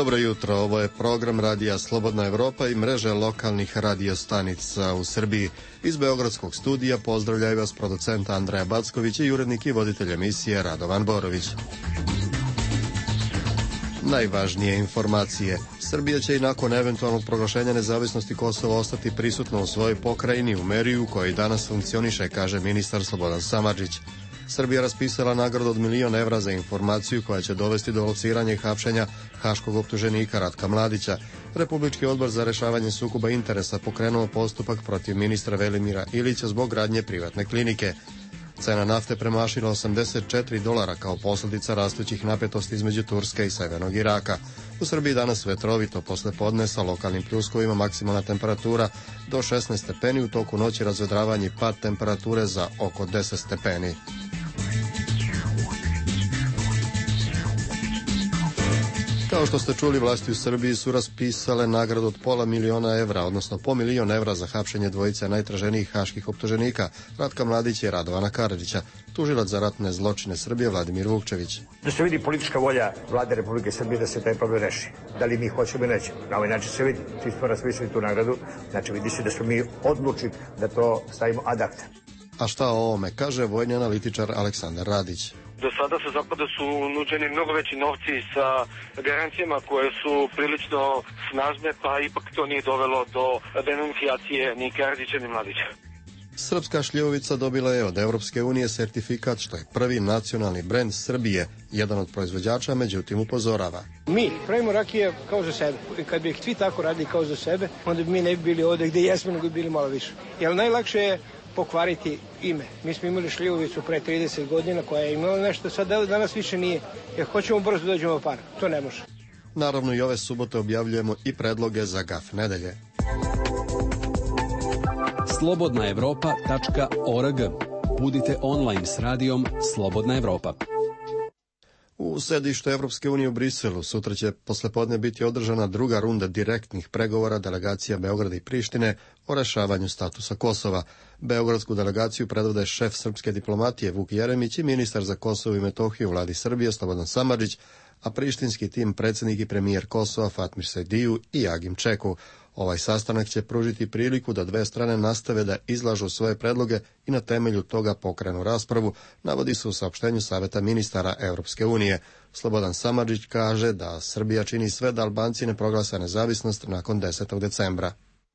Dobro jutro, ovo je program radija Slobodna Evropa i mreže lokalnih radiostanica u Srbiji. Iz Beogradskog studija pozdravljaju vas producent Andreja Backović i urednik i voditelj emisije Radovan Borović. Najvažnije informacije. Srbija će i nakon eventualnog proglašenja nezavisnosti Kosova ostati prisutna u svojoj pokrajini u meri u kojoj danas funkcioniše, kaže ministar Slobodan Samardžić. Srbija raspisala nagradu od 1.000.000 evra za informaciju koja će dovesti do lociranja i hapšenja haškog optuženika Ratka Mladića. Republički odbor za rešavanje sukoba interesa pokrenuo postupak protiv ministra Velimira Ilića zbog gradnje privatne klinike. Cena nafte premašila $84 kao posljedica rastućih napetosti između Turske i severnog Iraka. U Srbiji danas vetrovito posle podne sa lokalnim pljuskovima, maksimalna temperatura do 16 stepeni, u toku noći razvedravanje i pad temperature za oko 10 stepeni. Kao što ste čuli, vlasti u Srbiji su raspisale nagradu od $500.000 evra, odnosno po 1.000.000 evra za hapšenje dvojice najtraženijih haških optuženika, Ratka Mladića i Radovana Karadžića. Tužilac za ratne zločine Srbije Vladimir Vukčević. Da se vidi politička volja Vlade Republike Srbije da se taj problem reši. Da li mi hoćemo ili nećemo. Na ovaj način se vidi. Svi smo raspisali tu nagradu, znači vidi se da smo mi odlučili da to stavimo ad acta. A šta o ovome kaže vojni analitičar Aleksandar Radić. Do sada sa zapada su nuđeni mnogo veći novci sa garancijama koje su prilično snažne, pa ipak to nije dovelo do denuncijacije ni Karadžića ni Mladića. Srpska šljivovica dobila je od Evropske unije sertifikat što je prvi nacionalni brend Srbije. Jedan od proizvođača međutim upozorava. Mi pravimo rakije kao za sebe. Kad bi ih svi tako radili kao za sebe, onda bi mi ne bi bili ovde gde jesmo, nego bi bili malo više. Jer najlakše je pokvariti ime. Mi smo imali šljivovicu pre 30 godina koja je imala nešto, sad danas više nije. Jer hoćemo brzo dođemo u par. To ne može. Naravno i ove subote objavljujemo i predloge za GAF nedelje. slobodnaevropa.org. Budite online s radijom Slobodna Evropa. U sedištu Evropske unije u Briselu sutra će poslepodne biti održana druga runda direktnih pregovora delegacija Beograda i Prištine o rešavanju statusa Kosova. Beogradsku delegaciju predvode šef srpske diplomatije Vuk Jeremić i ministar za Kosovo i Metohiju u vladi Srbije Slobodan Samardžić, a prištinski tim predsjednik i premijer Kosova Fatmir Sejdiu i Agim Čeku. Ovaj sastanak će pružiti priliku da dve strane nastave da izlažu svoje predloge i na temelju toga pokrenu raspravu, navodi se u saopštenju Saveta ministara Europske unije. Slobodan Samardžić kaže da Srbija čini sve da Albanci ne proglase nezavisnost nakon 10. decembra.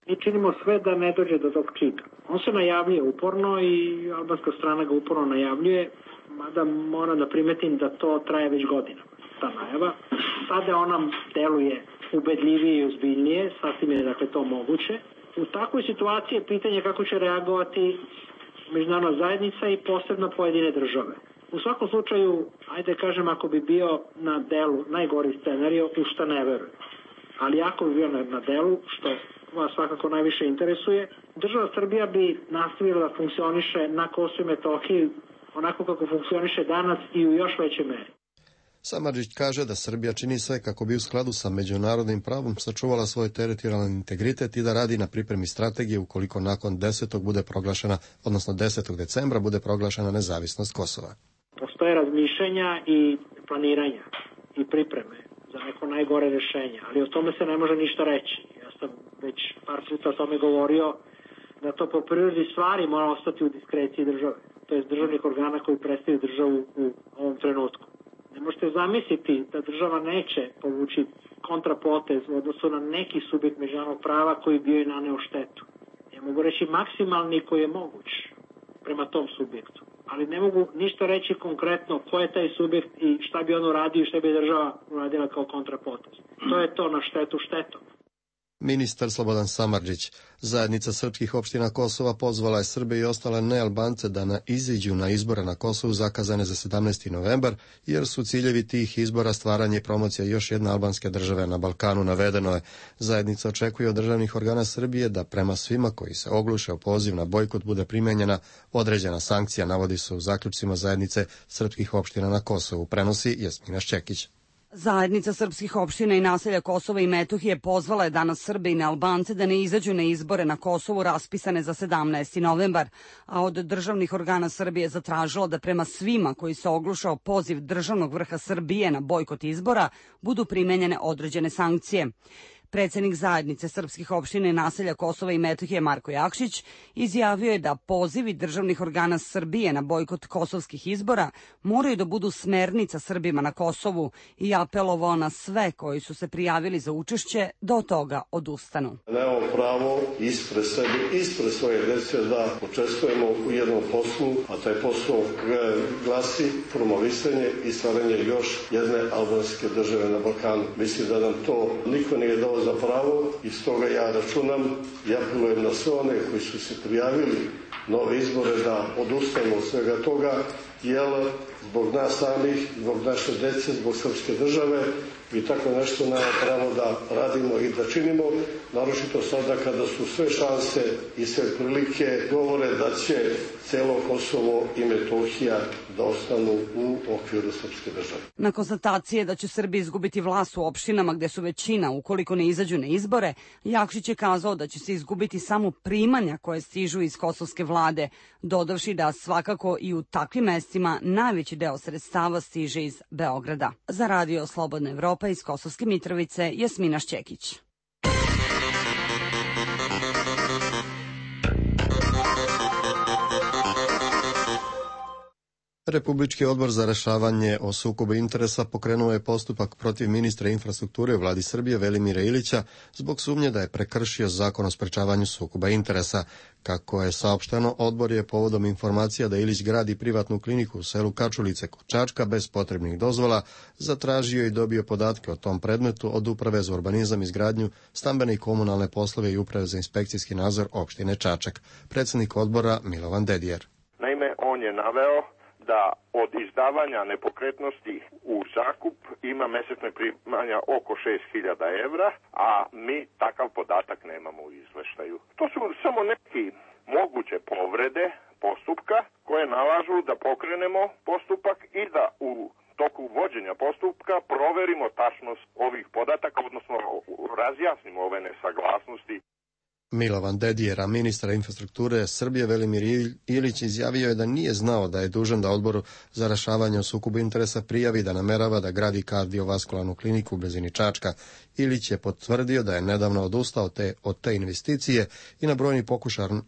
Mi činimo sve da ne dođe do tog čina. On se najavljuje uporno i albanska strana ga uporno najavljuje, mada moram da primetim da to traje već godinama, ta najava. Sada ona deluje ubedljivije i ozbiljnije, sasvim je dakle to moguće. U takvoj situaciji je pitanje kako će reagovati međunarodna zajednica i posebno pojedine države. U svakom slučaju, ajde kažem, ako bi bio na delu najgori scenario, u šta ne verujem. Ali ako bi bio na delu, što vas svakako najviše interesuje, država Srbija bi nastavila da funkcioniše na Kosovu i Metohiji onako kako funkcioniše danas i u još većoj meri. Samardžić kaže da Srbija čini sve kako bi u skladu sa međunarodnim pravom sačuvala svoj teritorijalni integritet i da radi na pripremi strategije ukoliko nakon 10. bude proglašena, odnosno 10. decembra bude proglašena nezavisnost Kosova. Postoje razmišljanja i planiranja i pripreme za neko najgore rešenje, ali o tome se ne može ništa reći. Ja sam već par puta o tome govorio da to po prirodi stvari mora ostati u diskreciji države, to je državnih organa koji predstavljaju državu u ovom trenutku. Ne možete zamisliti da država neće povući kontrapotez u odnosu na neki subjekt međunarodnog prava koji bio i naneo štetu. Ja mogu reći maksimalni koji je moguć prema tom subjektu, ali ne mogu ništa reći konkretno ko je taj subjekt i šta bi on uradio i šta bi država uradila kao kontrapotez. To je to na štetu štetom. Ministar Slobodan Samardžić. Zajednica srpskih opština Kosova pozvala je Srbe i ostale nealbance da iziđu na izbore na Kosovu zakazane za 17. novembar, jer su ciljevi tih izbora stvaranje i promocija još jedne albanske države na Balkanu, navedeno je. Zajednica očekuje od državnih organa Srbije da prema svima koji se ogluše o poziv na bojkot bude primenjena određena sankcija, navodi se u zaključcima Zajednice srpskih opština na Kosovu, prenosi Jasmina Šćekić. Zajednica srpskih opština i naselja Kosova i Metohije pozvala je danas Srbe i Nealbance da ne izađu na izbore na Kosovu raspisane za 17. novembar, a od državnih organa Srbije zatražila da prema svima koji se oglušao poziv državnog vrha Srbije na bojkot izbora budu primenjene određene sankcije. Predsednik Zajednice srpskih opština i naselja Kosova i Metohije Marko Jakšić izjavio je da pozivi državnih organa Srbije na bojkot kosovskih izbora moraju da budu smernica Srbima na Kosovu i apelovao na sve koji su se prijavili za učešće da od toga odustanu. Nemamo pravo ispred sebe, ispred svoje dece da učestvujemo u jednom poslu, a taj posao glasi promovisanje i stvaranje još jedne albanske države na Balkanu. Mislim da nam to niko nije dao za pravo i stoga ja računam i apelujem na sve one koji su se prijavili na ove izbore da odustanu od svega toga, jer zbog nas samih, zbog naše dece, zbog srpske države i tako nešto nema pravo da radimo i da činimo, naročito sada kada su sve šanse i sve prilike govore da će celo Kosovo i Metohija da ostanu u okviru srpske države. Na konstatacije da će Srbi izgubiti vlast u opštinama gde su većina ukoliko ne izađu na izbore, Jakšić je kazao da će se izgubiti samo primanja koje stižu iz kosovske vlade, dodavši da svakako i u takvim mestima najveći deo sredstava stiže iz Beograda. Za Radio Slobodna Evropa iz Kosovske Mitrovice, Jasmina Šćekić. Republički odbor za rešavanje o sukobu interesa pokrenuo je postupak protiv ministra infrastrukture u vladi Srbije Velimira Ilića zbog sumnje da je prekršio zakon o sprečavanju sukoba interesa. Kako je saopšteno, odbor je povodom informacija da Ilić gradi privatnu kliniku u selu Kačulice kod Čačka bez potrebnih dozvola zatražio i dobio podatke o tom predmetu od Uprave za urbanizam, izgradnju, stambene i komunalne poslove i Uprave za inspekcijski nadzor opštine Čačak. Predsednik odbora Milovan Dedijer. Naime, on je naveo da od izdavanja nepokretnosti u zakup ima mesečne primanja oko 6.000 evra, a mi takav podatak nemamo u izveštaju. To su samo neki moguće povrede postupka koje nalažu da pokrenemo postupak i da u toku vođenja postupka proverimo tačnost ovih podataka, odnosno razjasnimo ove nesaglasnosti. Milovan Dedijer, a ministar infrastrukture Srbije Velimir Ilić izjavio je da nije znao da je dužan da odboru za rešavanje o sukobu interesa prijavi da namerava da gradi kardiovaskularnu kliniku u blizini Čačka. Ilić je potvrdio da je nedavno odustao od te investicije i na brojni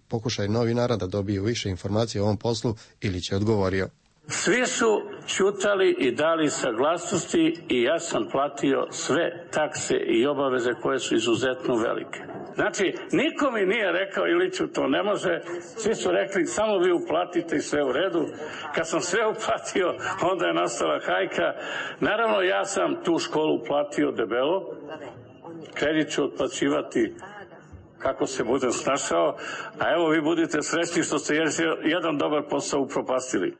pokušaj novinara da dobiju više informacije o ovom poslu, Ilić je odgovorio. Svi su ćutali i dali saglasnosti i ja sam platio sve takse i obaveze koje su izuzetno velike. Znači, niko mi nije rekao Iliću to ne može, svi su rekli samo vi uplatite i sve u redu. Kad sam sve uplatio, onda je nastala hajka. Naravno, ja sam tu školu platio debelo, kredit ću otplaćivati kako se budem snašao, a evo vi budite srećni što ste jedan dobar posao upropastili.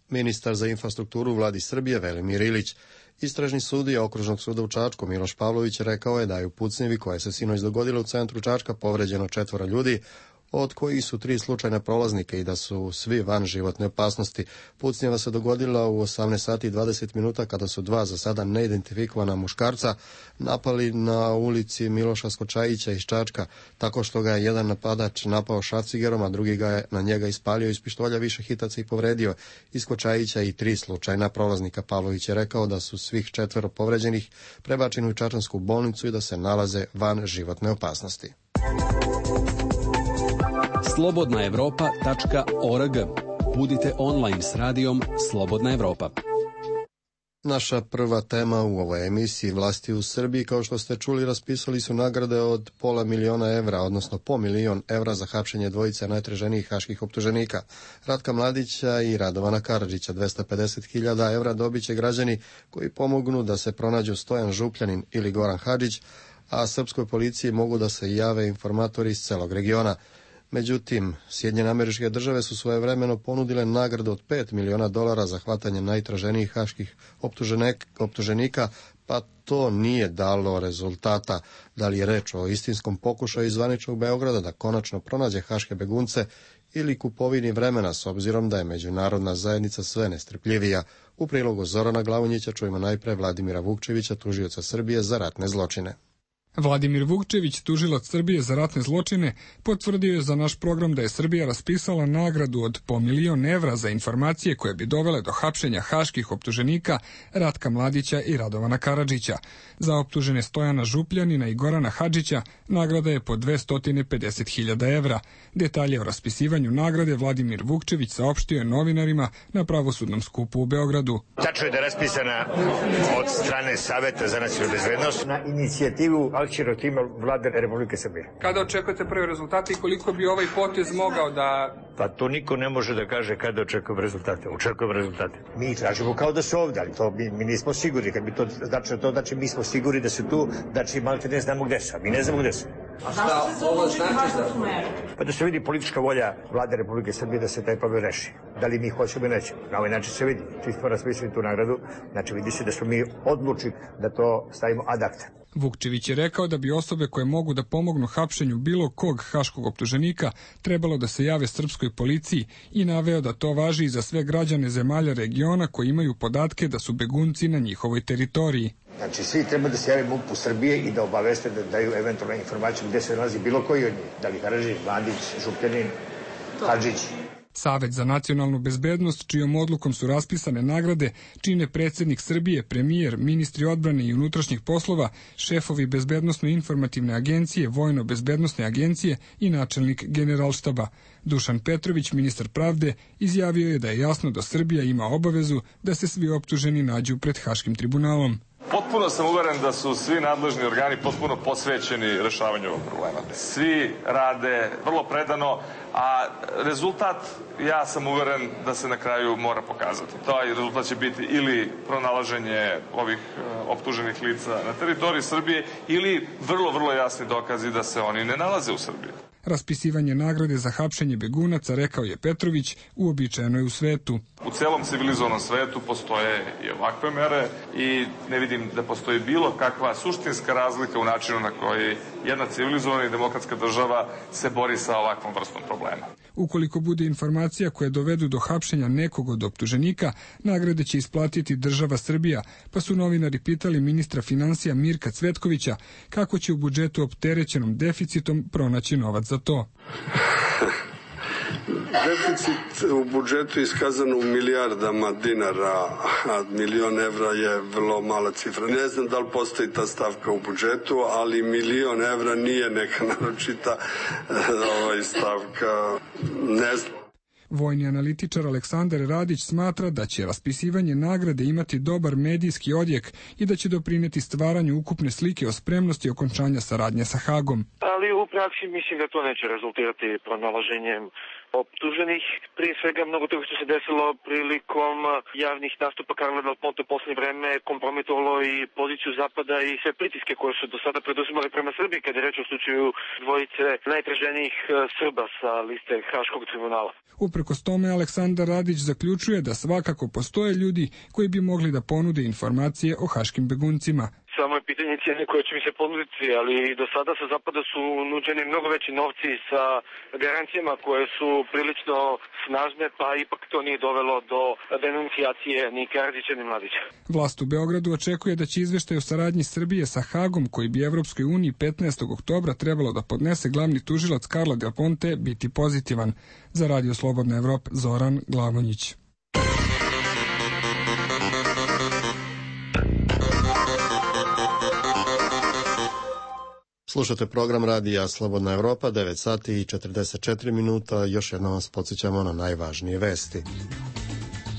Ministar za infrastrukturu u vladi Srbije Velimir Ilić. Istražni sudija Okružnog suda u Čačku Miloš Pavlović rekao je da je u pucnjevi koja se sinoć dogodila u centru Čačka povređeno 4 ljudi, od kojih su 3 slučajna prolaznika i da su svi van životne opasnosti. Pucnjeva se dogodila u 18 sati i 20 minuta kada su 2 za sada neidentifikovana muškarca napali na ulici Miloša Skočajića iz Čačka, tako što ga je jedan napadač napao šrafcigerom, a drugi ga je na njega ispalio iz pištolja više hitaca i povredio. Iz Skočajića i 3 slučajna prolaznika. Pavlović je rekao da su svih 4 povređenih prebačeni u čačansku bolnicu i da se nalaze van životne opasnosti. slobodnaevropa.org. Budite online s radijom Slobodna Evropa. Naša prva tema u ovoj emisiji. Vlasti u Srbiji, kao što ste čuli, raspisali su nagrade od $500.000 evra, odnosno $1.000.000 za hapšenje dvojice najtraženijih haških optuženika, Ratka Mladića i Radovana Karadžića. 250.000 evra dobit će građani koji pomognu da se pronađu Stojan Župljanin ili Goran Hadžić, a srpskoj policiji mogu da se jave informatori iz celog regiona. Međutim, Sjedinjene Američke Države su svojevremeno ponudile nagradu od $5 miliona za hvatanje najtraženijih haških optuženika, pa to nije dalo rezultata. Da li je reč o istinskom pokušaju zvaničnog Beograda da konačno pronađe haške begunce ili kupovini vremena, s obzirom da je međunarodna zajednica sve nestrpljivija. U prilogu Zorana Glavonjića čujemo najpre Vladimira Vukčevića, tužioca Srbije za ratne zločine. Vladimir Vukčević, tužilac Srbije za ratne zločine, potvrdio je za naš program da je Srbija raspisala nagradu od po 1.000.000 evra za informacije koje bi dovele do hapšenja haških optuženika Ratka Mladića i Radovana Karadžića. Za optužene Stojana Župljanina i Gorana Hadžića nagrada je po 250.000 evra. Detalje o raspisivanju nagrade Vladimir Vukčević saopštio je novinarima na pravosudnom skupu u Beogradu. Tačno je da je raspisana od strane Saveta za nacionalnu bezbednost na inicijativu akcionog tima Vlade Republike Srbije. Kada očekujete prve rezultate i koliko bi ovaj potez mogao da... Pa to niko ne može da kaže kada očekujemo rezultate. Očekujemo rezultate. Mi tražimo kao da su ovdje, ali to mi nismo sigurni. Kad bi to znači mi smo sigurni da su tu, znači malte ne znamo gde su, mi ne znamo gde su. A šta ovo znači za... Pa da se vidi politička volja Vlade Republike Srbije da se taj problem reši. Da li mi hoćemo ili nećemo. Na ovaj način se vidi. Čisto raspisali tu nagradu, znači vidi se da smo mi odlučili da to stavimo ad acta. Vukčević je rekao da bi osobe koje mogu da pomognu hapšenju bilo kog haškog optuženika trebalo da se jave srpskoj policiji i naveo da to važi i za sve građane zemalja regiona koji imaju podatke da su begunci na njihovoj teritoriji. Znači svi treba da se jave MUP-u Srbije i da obaveste da daju eventualne informacije gde se nalazi bilo koji od njih. Da li Karadžić, Mladić, Župljanin, Hadžić. Savet za nacionalnu bezbednost, čijom odlukom su raspisane nagrade, čine predsjednik Srbije, premijer, ministri odbrane i unutrašnjih poslova, šefovi bezbednosno-informativne agencije, vojno-bezbednosne agencije i načelnik generalštaba. Dušan Petrović, ministar pravde, izjavio je da je jasno da Srbija ima obavezu da se svi optuženi nađu pred Haškim tribunalom. Potpuno sam uveren da su svi nadležni organi potpuno posvećeni rešavanju ovog problema. Svi rade vrlo predano, a rezultat, ja sam uveren da se na kraju mora pokazati. Taj rezultat će biti ili pronalaženje ovih optuženih lica na teritoriji Srbije ili vrlo jasni dokazi da se oni ne nalaze u Srbiji. Raspisivanje nagrade za hapšenje begunaca, rekao je Petrović, uobičajeno je u svetu. U celom civilizovanom svetu postoje i ovakve mere i ne vidim da postoji bilo kakva suštinska razlika u načinu na koji jedna civilizovana i demokratska država se bori sa ovakvom vrstom problema. Ukoliko bude informacija koje dovedu do hapšenja nekog od optuženika, nagrade će isplatiti država Srbija, pa su novinari pitali ministra finansija Mirka Cvetkovića kako će u budžetu opterećenom deficitom pronaći novac za to. Deficit u budžetu je iskazan u milijardama dinara, a 1.000.000 evra je vrlo mala cifra. Ne znam da li postoji ta stavka u budžetu, ali 1.000.000 evra nije neka naročita stavka. Ne znam. Vojni analitičar Aleksandar Radić smatra da će raspisivanje nagrade imati dobar medijski odjek i da će doprineti stvaranju ukupne slike o spremnosti okončanja saradnje sa Hagom. Ali u praksi mislim da to neće rezultirati pronalaženjem optuženih. Prije svega mnogo toga što se desilo prilikom javnih nastupa Karla Del Ponte u posljednje vreme kompromitovalo i poziciju Zapada i sve pritiske koje su do sada preduzimali prema Srbiji kada je reč o slučaju dvojice najtraženijih Srba sa liste Haškog tribunala. Uprkos tome, Aleksandar Radić zaključuje da svakako postoje ljudi koji bi mogli da ponude informacije o haškim beguncima. Samo je pitanje cijene koje će mi se ponuditi, ali do sada sa Zapada su nuđeni mnogo veći novci sa garancijama koje su prilično snažne, pa ipak to nije dovelo do denuncijacije ni Karadžića ni Mladića. Vlast u Beogradu očekuje da će izveštaj o saradnji Srbije sa Hagom, koji bi Evropskoj uniji 15. oktobra trebalo da podnese glavni tužilac Karla Del Ponte, biti pozitivan. Za Radio Slobodna Evropa, Zoran Glavonjić. Slušate program Radija Slobodna Evropa, 9 sati i 44 minuta. Još jednom vas podsjećamo na najvažnije vesti.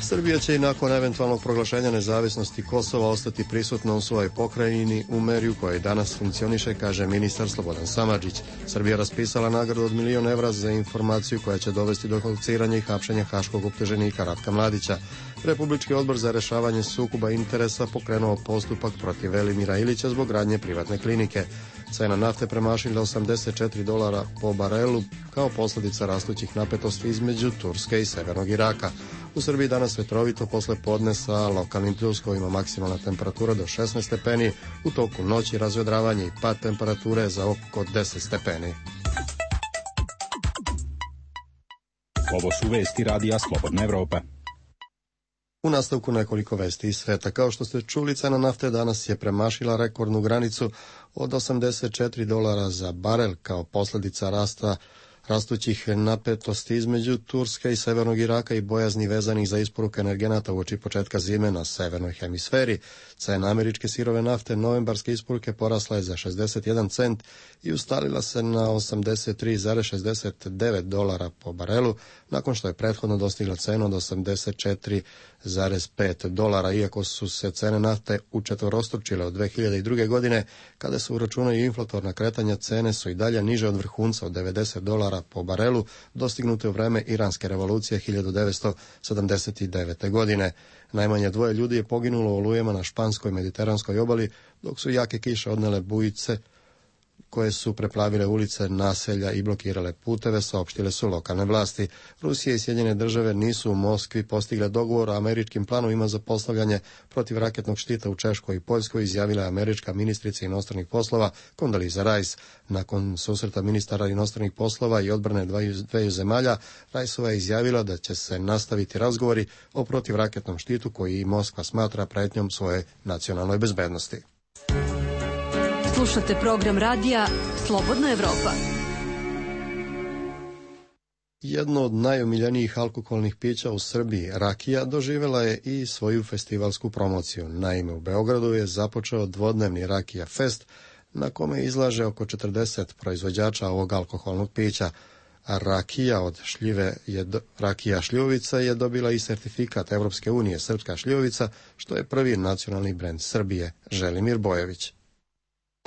Srbija će i nakon eventualnog proglašenja nezavisnosti Kosova ostati prisutna u svojoj pokrajini u meri u kojoj danas funkcioniše, kaže ministar Slobodan Samardžić. Srbija raspisala nagradu od 1.000.000 evra za informaciju koja će dovesti do lociranja i hapšenja haškog optuženika Ratka Mladića. Republički odbor za rešavanje sukoba interesa pokrenuo postupak protiv Velimira Ilića zbog gradnje privatne klinike. Cena nafte premašila $84 po barelu kao posljedica rastućih napetosti između Turske i severnog Iraka. U Srbiji danas vetrovito posle podne sa lokalnim pljuskovima, maksimalna temperatura do 16 stepeni, u toku noći razvedravanje i pad temperature za oko 10 stepeni. Ovo su vesti radija Slobodna Evropa. U nastavku nekoliko vesti iz sveta. Kao što ste čuli, cena nafte danas je premašila rekordnu granicu od $84 za barel kao posljedica rastućih napetosti između Turske i severnog Iraka i bojazni vezanih za isporuku energenata uoči početka zime na severnoj hemisferi. Cena američke sirove nafte novembarske isporuke porasla je za 61 cent i ustalila se na $83,69 po barelu, nakon što je prethodno dostigla cenu od $84,5. Iako su se cene nafte učetvorostručile od 2002. godine, kada se uračunaju inflatorna kretanja, cene su i dalje niže od vrhunca od $90 po barelu, dostignute u vreme Iranske revolucije 1979. godine. Najmanje 2 ljudi je poginulo u olujama na španskoj mediteranskoj obali, dok su jake kiše odnele bujice koje su preplavile ulice, naselja i blokirale puteve, saopštile su lokalne vlasti. Rusija i Sjedinjene države nisu u Moskvi postigle dogovor o američkim planovima za postavljanje protivraketnog štita u Češkoj i Poljskoj, izjavila je američka ministrica inostranih poslova Condoleezza Rice. Nakon susreta ministara inostranih poslova i odbrane dveju zemalja, Riceova je izjavila da će se nastaviti razgovori o protivraketnom štitu koji Moskva smatra pretnjom svoje nacionalnoj bezbednosti. Slušate program radija Slobodna Evropa. Jedno od najomiljenijih alkoholnih pića u Srbiji, rakija, doživjela je i svoju festivalsku promociju. Naime, u Beogradu je započeo dvodnevni Rakija Fest, na kome izlaže oko 40 proizvođača ovog alkoholnog pića. A rakija od šljive rakija šljivovica je dobila i sertifikat Evropske unije Srpska šljivovica, što je prvi nacionalni brend Srbije. Želimir Bojević.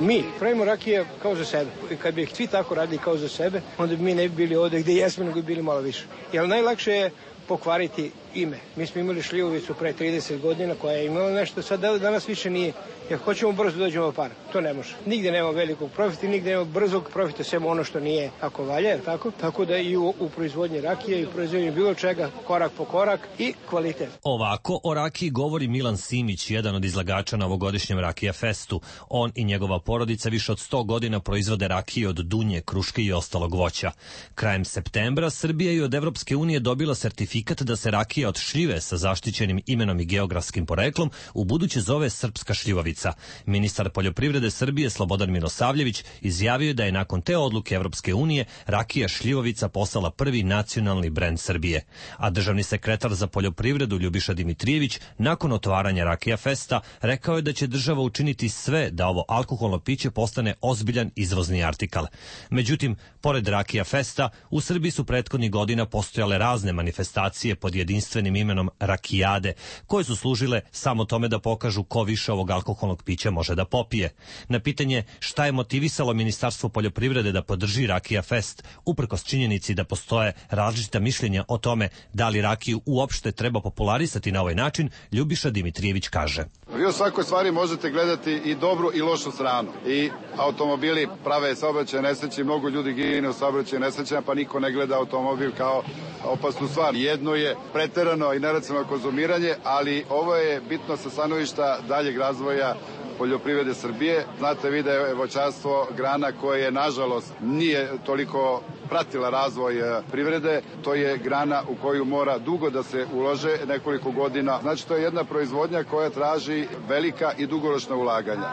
Mi pravimo rakije kao za sebe. Kad bi ih svi tako radili kao za sebe, onda bi mi ne bi bili ovde gde jesmo, nego bi bili malo više. Jer najlakše je pokvariti ime. Mi smo imali šljivovicu pre 30 godina koja je imala nešto, sad danas više nije. Jer hoćemo brzo dođemo do para. To ne može. Nigde nema velikog profita, nigde nema brzog profita, sem ono što nije ako valja, je tako? Tako da i u proizvodnji rakije i u proizvodnji bilo čega, korak po korak i kvalitet. Ovako o rakiji govori Milan Simić, jedan od izlagača na ovogodišnjem Rakija Festu. On i njegova porodica više od 100 godina proizvode rakije od dunje, kruške i ostalog voća. Krajem septembra Srbija je od Evropske unije dobila sertifikat da se rakija od šljive sa zaštićenim imenom i geografskim poreklom u buduće zove Srpska šljivovica. Ministar poljoprivrede Srbije Slobodan Milosavljević izjavio je da je nakon te odluke Evropske unije rakija šljivovica postala prvi nacionalni brend Srbije. A državni sekretar za poljoprivredu Ljubiša Dimitrijević nakon otvaranja Rakija Festa rekao je da će država učiniti sve da ovo alkoholno piće postane ozbiljan izvozni artikal. Međutim, pored Rakija Festa, u Srbiji su prethodnih godina postojale razne manifestacije pod jedinstvenim imenom Rakijade, koje su služile samo tome da pokažu ko više ovog alkoholnog pića može da popije. Na pitanje šta je motivisalo Ministarstvo poljoprivrede da podrži Rakija Fest, uprkos činjenici da postoje različita mišljenja o tome da li rakiju uopšte treba popularisati na ovaj način, Ljubiša Dimitrijević kaže. Vi u svakoj stvari možete gledati i dobru i lošu stranu. I automobili prave saobraćajne nesreće, mnogo ljudi gine u saobraćajnim nesrećama, pa niko ne gleda automobil kao opasnu stvar. Jedno je preterano i neracionalno konzumiranje, ali ovo je bitno sa stanovišta daljeg razvoja poljoprivrede Srbije. Znate vi da je voćarstvo grana koja nažalost nije toliko pratila razvoj privrede. To je grana u koju mora dugo da se ulože, nekoliko godina. Znači to je jedna proizvodnja koja traži velika i dugoročna ulaganja.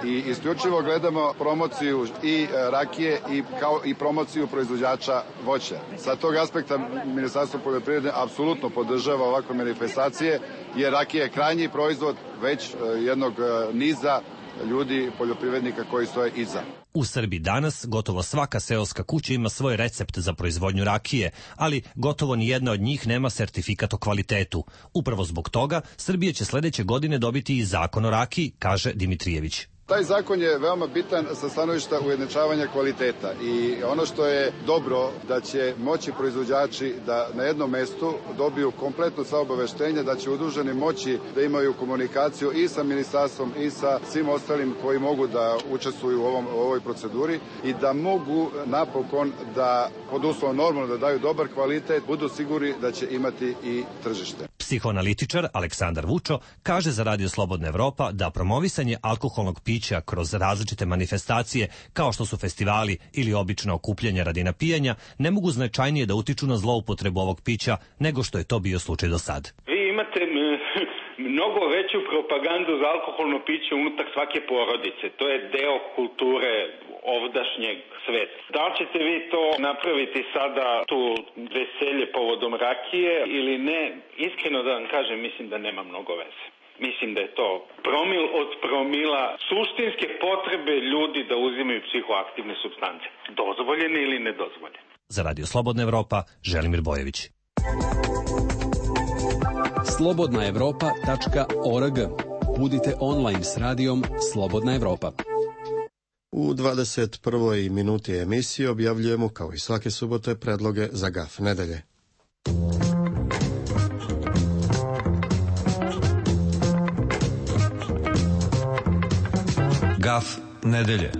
I isključivo gledamo promociju i rakije kao i promociju proizvođača voća. Sa tog aspekta Ministarstvo poljoprivrede apsolutno podržava ovakve manifestacije, jer rakija je krajnji proizvod već jednog niza ljudi, poljoprivrednika koji stoje iza. U Srbiji danas gotovo svaka seoska kuća ima svoj recept za proizvodnju rakije, ali gotovo ni jedna od njih nema sertifikat o kvalitetu. Upravo zbog toga Srbija će sledeće godine dobiti i zakon o rakiji, kaže Dimitrijević. Taj zakon je veoma bitan sa stanovišta ujednačavanja kvaliteta i ono što je dobro da će moći proizvođači da na jednom mestu dobiju kompletno sva obaveštenja, da će udruženi moći da imaju komunikaciju i sa ministarstvom i sa svim ostalim koji mogu da učestvuju u ovoj proceduri i da mogu napokon da pod uslovom normalno da daju dobar kvalitet, budu sigurni da će imati i tržište. Psihoanalitičar Aleksandar Vučo kaže za Radio Slobodna Evropa da promovisanje alkoholnog pića kroz različite manifestacije, kao što su festivali ili obična okupljanja radi napijanja, ne mogu značajnije da utiču na zloupotrebu ovog pića nego što je to bio slučaj do sad. Vi imate mnogo veću propagandu za alkoholno piće unutar svake porodice. To je deo kulture ovdašnjeg sveta. Da li ćete vi to napraviti sada, tu veselje povodom rakije ili ne? Iskreno da vam kažem, mislim da nema mnogo veze. Mislim da je to promil od promila suštinske potrebe ljudi da uzimaju psihoaktivne supstance. Dozvoljene ili nedozvoljene. Za Radio Slobodna Evropa, Želimir Bojević. slobodnaevropa.org. Budite online s radijom Slobodna Evropa. U 21. minuti emisije objavljujemo, kao i svake subote, predloge za GAF nedelje. GAF nedelje.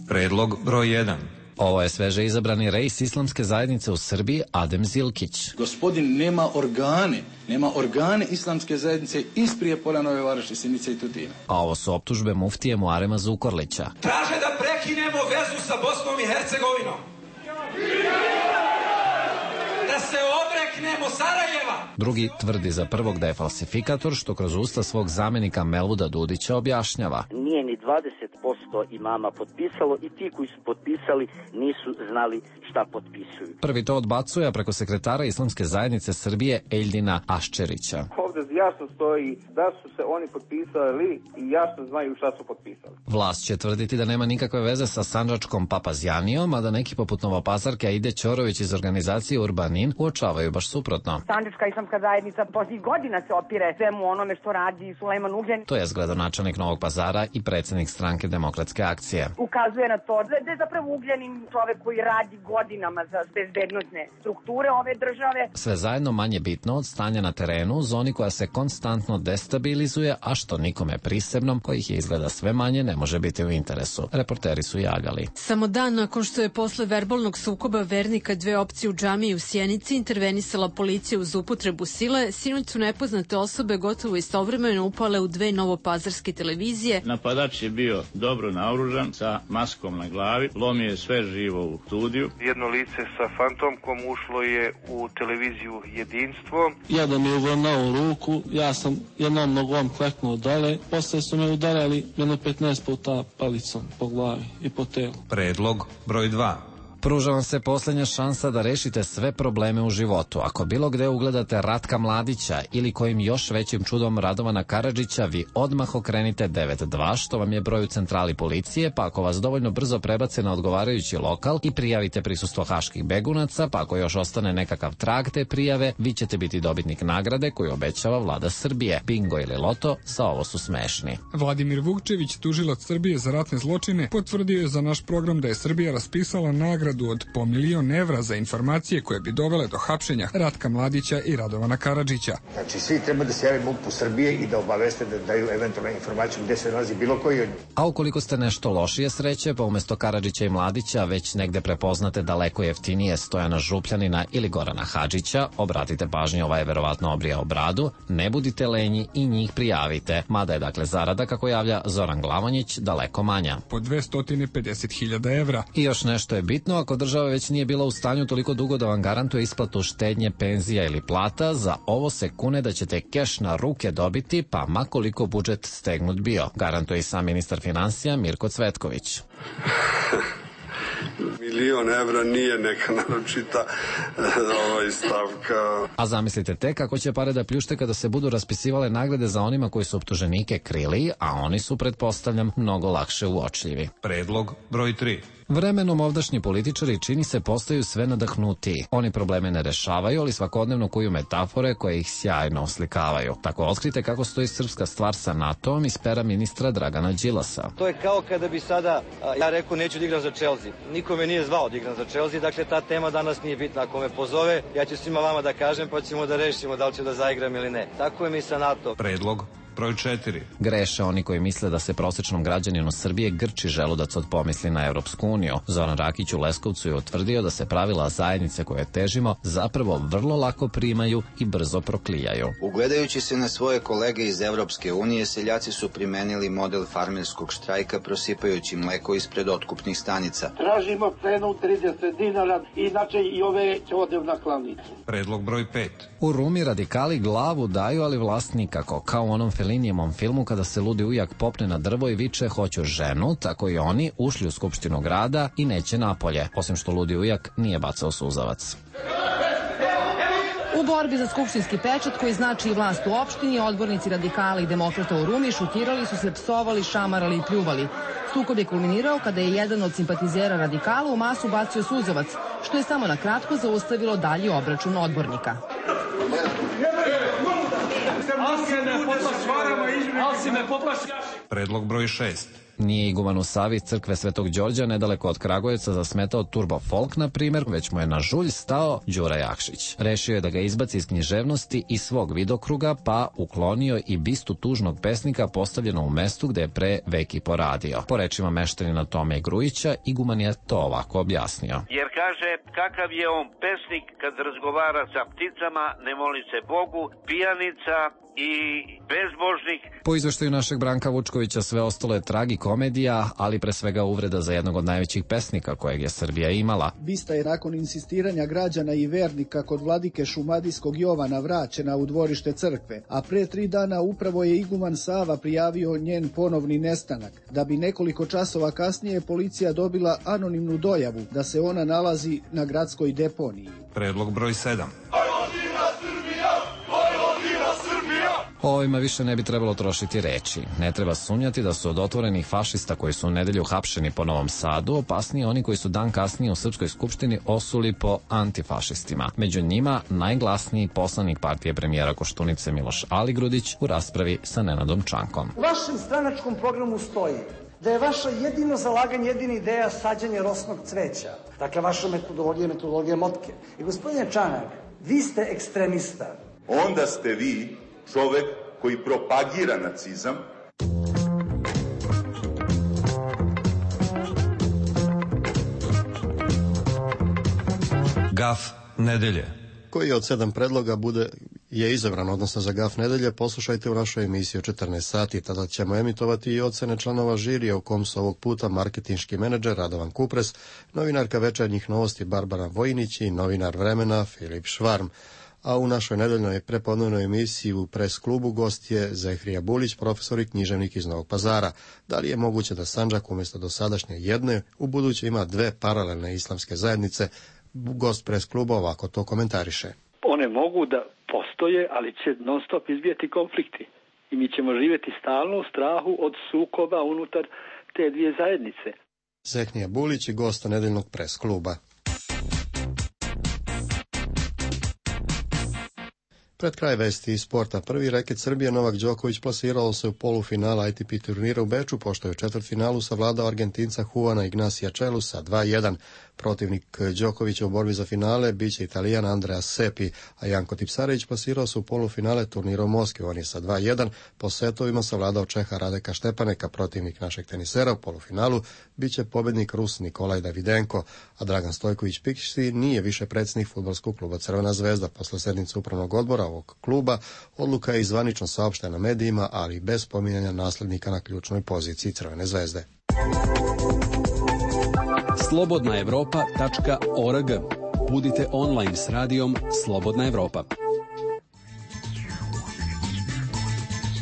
Predlog broj 1. Ovo je sveže izabrani rejs islamske zajednice u Srbiji Adem Zilkić. Gospodin nema organe islamske zajednice iz Prijepolja, Nove Varoši, Sjenice i Tutina. A ovo su optužbe muftije Muarema Zukorlića. Traže da prekinemo vezu sa Bosnom i Hercegovinom. Da se odreknemo Sarajeva. Drugi tvrdi za prvog da je falsifikator, što kroz usta svog zamenika Melvuda Dudića objašnjava. Nije ni 20% imama potpisalo i ti koji su potpisali nisu znali šta potpisuju. Prvi to odbacuje, a preko sekretara Islamske zajednice Srbije Eldina Aščerića. Ovde jasno stoji da su se oni potpisali i jasno znaju šta su potpisali. Vlast će tvrditi da nema nikakve veze sa sandžačkom Papazjanijom, a da neki poput Novopazarke Aide Ćorović iz organizacije Urbanin uočavaju baš suprotno. Sandžačka islamska zajednica posljednjih godina se opire svemu onome što radi Sulejman Ugljanin. To je gradonačelnik Novog Pazara i predsjednik stranke Demokratske akcije. Ukazuje na to da je zapravo Ugljanin čovek koji radi godinama za bezbednosne strukture ove države. Sve zajedno manje bitno od stanja na terenu u zoni koja se konstantno destabilizuje, a što nikome prisebnom, kojih je izgleda sve manje, ne može biti u interesu. Reporteri su javljali. Samo dan nakon što je posle verbalnog sukoba vernika dve opcije u džamiji u Sjenici intervenisala policija uz upotrebu sile, sinoć su nepoznate osobe gotovo istovremeno upale u dve novopazarske televizije. Napadač je bio dobro naoružan sa maskom na glavi, lomio je sve živo u studiju. Jedno lice sa fantomkom ušlo je u televiziju Jedinstvo. Jedan je uvrnao u ruku, ja sam jednom nogom kleknuo dole, posle su me udarali jedno 15 puta palicom po glavi i po telu. Predlog broj 2. Pruža vam se posljednja šansa da rešite sve probleme u životu. Ako bilo gde ugledate Ratka Mladića ili kojim još većim čudom Radovana Karadžića, vi odmah okrenite 92, što vam je broj u centrali policije, pa ako vas dovoljno brzo prebace na odgovarajući lokal i prijavite prisustvo haških begunaca, pa ako još ostane nekakav trag te prijave, vi ćete biti dobitnik nagrade koju obećava vlada Srbije. Bingo ili loto, za ovo su smešni. Vladimir Vukčević, tužilac Srbije za ratne zločine, potvrdio je za naš program da je Srbija raspisala nagradu od po 1 milion evra za informacije koje bi dovele do hapšenja Ratka Mladića i Radovana Karadžića. Znači, svi treba da se jave MUP-u Srbije i da obaveste da daju eventualne informacije gde se nalazi bilo koji od njih. A ukoliko ste nešto lošije sreće, pa umesto Karadžića i Mladića već negde prepoznate daleko jeftinije Stojana Župljanina ili Gorana Hadžića, obratite pažnju, ovaj je verovatno obrijao bradu, ne budite lenji i njih prijavite. Mada je dakle zarada, kako javlja Zoran Glavonjić, daleko manja. Po 250.000 evra. I još nešto je bitno, ako država već nije bila u stanju toliko dugo da vam garantuje isplatu štednje, penzija ili plata, za ovo se kune da ćete keš na ruke dobiti, pa makoliko budžet stegnut bio. Garantuje i sam ministar finansija Mirko Cvetković. 1 milion evra nije neka naročita stavka. A zamislite tek kako će pare da pljušte kada se budu raspisivale nagrade za onima koji su optuženike krili, a oni su, pretpostavljam, mnogo lakše uočljivi. Predlog broj 3. Vremenom ovdašnji političari čini se postaju sve nadahnutiji. Oni probleme ne rešavaju, ali svakodnevno kuju metafore koje ih sjajno oslikavaju. Tako otkrite kako stoji srpska stvar sa NATO-om iz pera ministra Dragana Đilasa. To je kao kada bi sada ja rekao neću da igram za Chelsea. Niko me nije zvao da igram za Chelsea, dakle ta tema danas nije bitna. Ako me pozove, ja ću svima vama da kažem, pa ćemo da rešimo da li ću da zaigram ili ne. Tako je mi sa NATO. Predlog broj 4. Greše oni koji misle da se prosečnom građaninu Srbije grči želudac od pomisli na Evropsku uniju. Zoran Rakić u Leskovcu je utvrdio da se pravila zajednice koje težimo zapravo vrlo lako primaju i brzo proklijaju. Ugledajući se na svoje kolege iz Evropske unije, seljaci su primenili model farmerskog štrajka prosipajući mleko ispred otkupnih stanica. Tražimo cenu 30 dinara, inače i ove će odem na klavnicu. Predlog broj 5. U Rumi radikali glavu daju, ali vlast nikako. Kao u onom Felinijevom filmu kada se ludi ujak popne na drvo i viče hoću ženu, tako i oni ušli u Skupštinu grada i neće napolje, osim što ludi ujak nije bacao suzavac. U borbi za skupštinski pečat koji znači i vlast u opštini, odbornici radikala i demokrata u Rumi šutirali su se, psovali, šamarali i pljuvali. Sukob je kulminirao kada je jedan od simpatizera radikala u masu bacio suzavac, što je samo na kratko zaustavilo dalji obračun odbornika. Predlog broj 6. Nije iguman u Savi crkve Svetog Đorđa nedaleko od Kragujevca zasmetao turbo folk, na primjer, već mu je na žulj stao Đura Jakšić. Rešio je da ga izbaci iz književnosti i svog vidokruga, pa uklonio i bistu tužnog pesnika postavljeno u mestu gde je pre veki poradio. Po rečima meštanina Tome Grujića, iguman je to ovako objasnio. Jer kaže, kakav je on pesnik kad razgovara sa pticama, ne moli se Bogu, pijanica i bezbožnik. Po izveštaju našeg Branka Vučkovića sve ostalo je tragikomedija, ali pre svega uvreda za jednog od najvećih pesnika kojeg je Srbija imala. Bista je nakon insistiranja građana i vernika kod vladike šumadijskog Jovana vraćena u dvorište crkve, a pre 3 dana upravo je iguman Sava prijavio njen ponovni nestanak, da bi nekoliko časova kasnije policija dobila anonimnu dojavu da se ona nalazi na gradskoj deponiji. Predlog broj 7. O ovima više ne bi trebalo trošiti reči. Ne treba sumnjati da su od otvorenih fašista koji su u nedelju hapšeni po Novom Sadu opasniji oni koji su dan kasnije u Srpskoj skupštini osuli po antifašistima. Među njima najglasniji poslanik partije premijera Koštunice Miloš Aligrudić u raspravi sa Nenadom Čankom. U vašem stranačkom programu stoji da je vaša jedino zalaganje, jedina ideja sađanje rosnog cveća. Dakle, vaša metodologija je metodologija motke. I gospodine Čanak, vi ste ekstremista. Onda ste vi čovek koji propagira nacizam. Gaf nedelje. Koji od 7 predloga je izabran, odnosno za gaf nedelje, poslušajte u našoj emisiji o 14 sati. Tada ćemo emitovati i ocene članova žirija u kom su ovog puta marketinški menadžer Radovan Kupres, novinarka Večernjih novosti Barbara Vojnić i novinar Vremena Filip Švarm. A u našoj nedeljnoj prepodnevnoj emisiji u Pres klubu gost je Zehrija Bulić, profesor i književnik iz Novog Pazara. Da li je moguće da Sandžak umjesto dosadašnje jedne u buduće ima 2 paralelne islamske zajednice? Gost Pres kluba ovako to komentariše. One mogu da postoje, ali će non stop izbijati konflikti. I mi ćemo živjeti stalno u strahu od sukoba unutar te 2 zajednice. Zehrija Bulić i gost nedeljnog Pres kluba. Pred kraj vesti iz sporta. Prvi reket Srbije Novak Đoković plasirao se u polufinala ATP turnira u Beču, pošto je u četvrtfinalu savladao Argentinca Juana Ignacia Čelu sa 2:1. Protivnik Đokovića u borbi za finale biće Italijan Andrea Seppi, a Janko Tipsarević plasirao se u polufinale turnira u Moskvi. On je sa 2:1 po setovima savladao Čeha Radeka Štepaneka. Protivnik našeg tenisera u polufinalu biće pobednik Rus Nikolaj Davidenko, a Dragan Stojković-Pikši nije više predsjednik fudbalskog kluba Crvena zvezda. Posle sednice upravnog odbora ovog kluba odluka je i zvanično saopštena medijima, ali bez spominjanja naslednika na ključnoj poziciji Crvene zvezde. slobodnaevropa.org. Budite online s radijom Slobodna Evropa.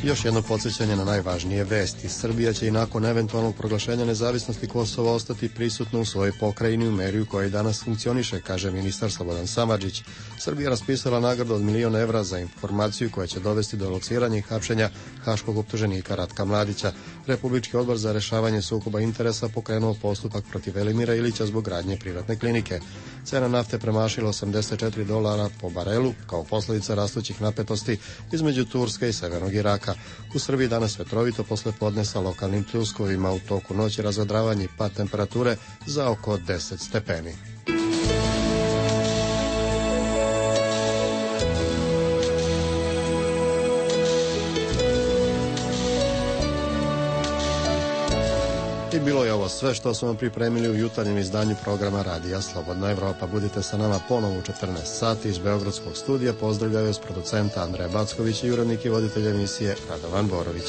Još jedno podsjećanje na najvažnije vesti. Srbija će i nakon eventualnog proglašenja nezavisnosti Kosova ostati prisutna u svojoj pokrajini u meri u kojoj danas funkcioniše, kaže ministar Slobodan Samardžić. Srbija je raspisala nagradu od 1 milion evra za informaciju koja će dovesti do lociranja i hapšenja haškog optuženika Ratka Mladića. Republički odbor za rešavanje sukoba interesa pokrenuo postupak protiv Velimira Ilića zbog gradnje privatne klinike. Cena nafte premašila $84 po barelu kao posljedica rastućih napetosti između Turske i Severnog Iraka. U Srbiji danas vetrovito posle podne sa lokalnim pljuskovima, u toku noći razvedravanje i pad temperature za oko 10 stepeni. I bilo je ovo sve što smo vam pripremili u jutarnjem izdanju programa Radija Slobodna Evropa. Budite sa nama ponovo u 14 sati iz Beogradskog studija. Pozdravljaju vas producenta Andreja Backović i urednik i voditelj emisije Radovan Borović.